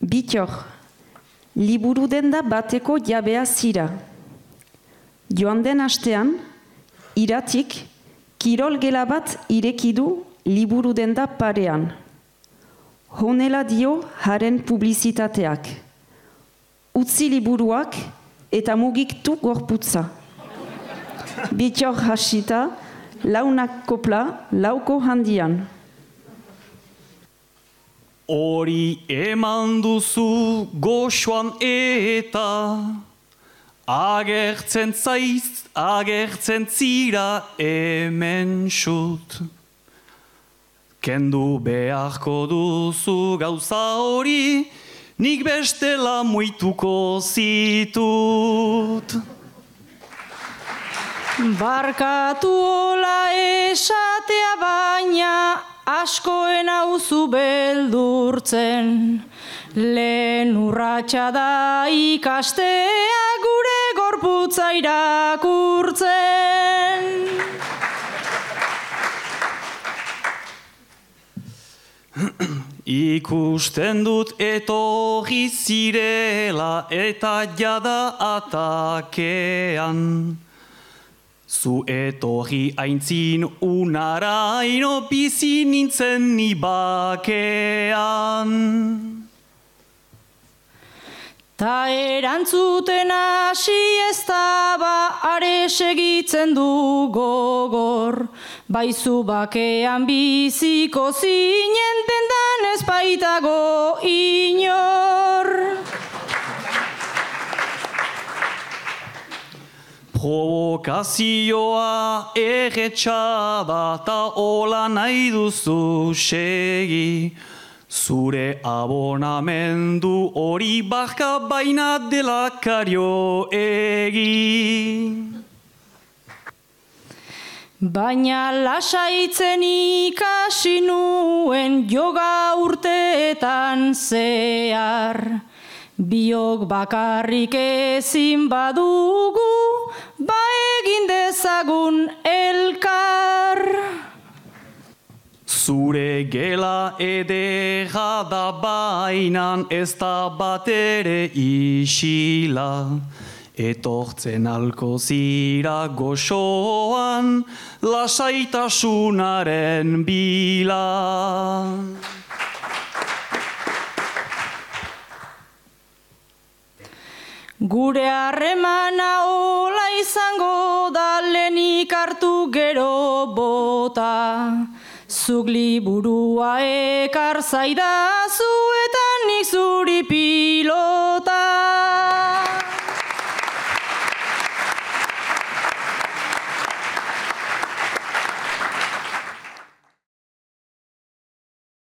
Bitor, liburu denda bateko jabea zira. Joan den astean, iratik, kirol gela bat irekidu liburu denda parean. Honela dio haren publizitateak. Utzi liburuak eta mugiktu gorputza. Bitor hasita, launak kopla, lauko handian. Hori eman duzu goxoan eta agertzen zaiz, agertzen zira hemen xut. Kendu beharko duzu gauza hori, nik bestela muituko zitut. Barkatu hola esatea baina, askoen hauzu beldurtzen. Lehen urratsa da ikastea gure gorputza irakurtzen. Ikusten dut etorri zirela eta jada atakean. Zu etorri aintzin unaraino bizi nintzen ni bakean. Ta erantzuten hasi ez da are segitzen du gogor. Baizu bakean biziko zinen dendan ez baitago inor. Provokazioa erretxa da ta hola nahi duzu segi. Zure abonamendu hori barka baina dela kario egin. Baina lasaitzen ikasi nuen yoga urteetan zehar. Biok bakarrik ezin badugu, ba egin dezagun elkar. Zure gela ederra da bainan ez da batere isila. Etortzen alko zira goxoan, lasaitasunaren bila. Gure harremana hola izango da lehenik hartu gero bota. Zuk liburua ekar zaidazu eta nik zuri